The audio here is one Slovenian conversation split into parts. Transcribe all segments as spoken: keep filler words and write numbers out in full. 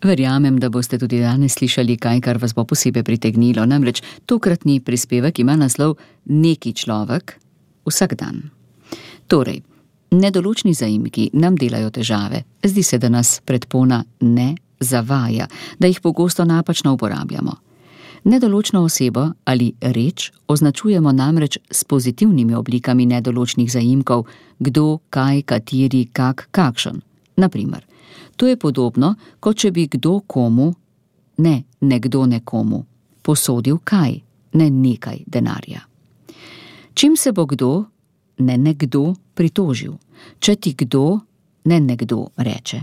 Verjamem, da boste tudi danes slišali kaj, kar vas bo posebej pritegnilo, namreč tokratni prispevek ima naslov Neki človek vsak dan. Torej, nedoločni zaimki nam delajo težave. Zdi se, da nas predpona ne zavaja, da jih pogosto napačno uporabljamo. Nedoločno osebo ali reč označujemo namreč s pozitivnimi oblikami nedoločnih zaimkov, kdo, kaj, kateri, kak, kakšen. Naprimer, to je podobno, kot če bi kdo komu, ne nekdo nekomu, posodil kaj, ne nekaj denarja. Čim se bo kdo, ne nekdo, pritožil, če ti kdo, ne nekdo reče.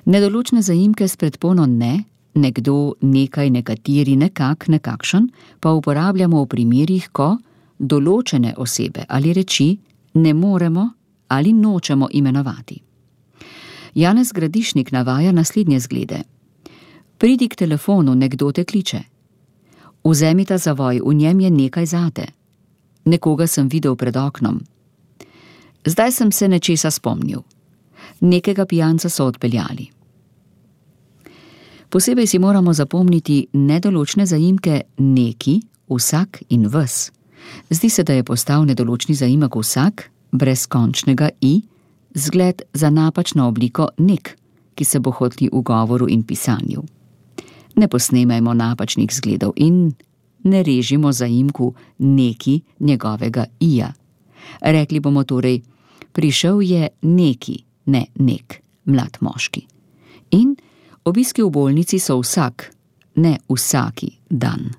Nedoločne zaimke s predpono ne, nekdo, nekaj, nekateri, nekak, nekakšen, pa uporabljamo v primerih, ko določene osebe ali reči ne moremo ali nočemo imenovati. Janez Gradišnik navaja naslednje zglede. Pridi k telefonu, nekdo te kliče. Vzemi ta zavoj, v njem je nekaj zate. Nekoga sem videl pred oknom. Zdaj sem se nečesa spomnil. Nekega pijanca so odpeljali. Posebej si moramo zapomniti nedoločne zaimke neki, vsak in ves. Zdi se, da je postal nedoločni zaimek vsak, brez končnega i, zgled za napačno obliko nek, ki se bo hotli v govoru in pisanju. Ne posnemajmo napačnih zgledov in ne režimo zaimku neki njegovega ija. Rekli bomo torej, prišel je neki, ne nek, mlad moški. In obiski v bolnici so vsak, ne vsaki dan.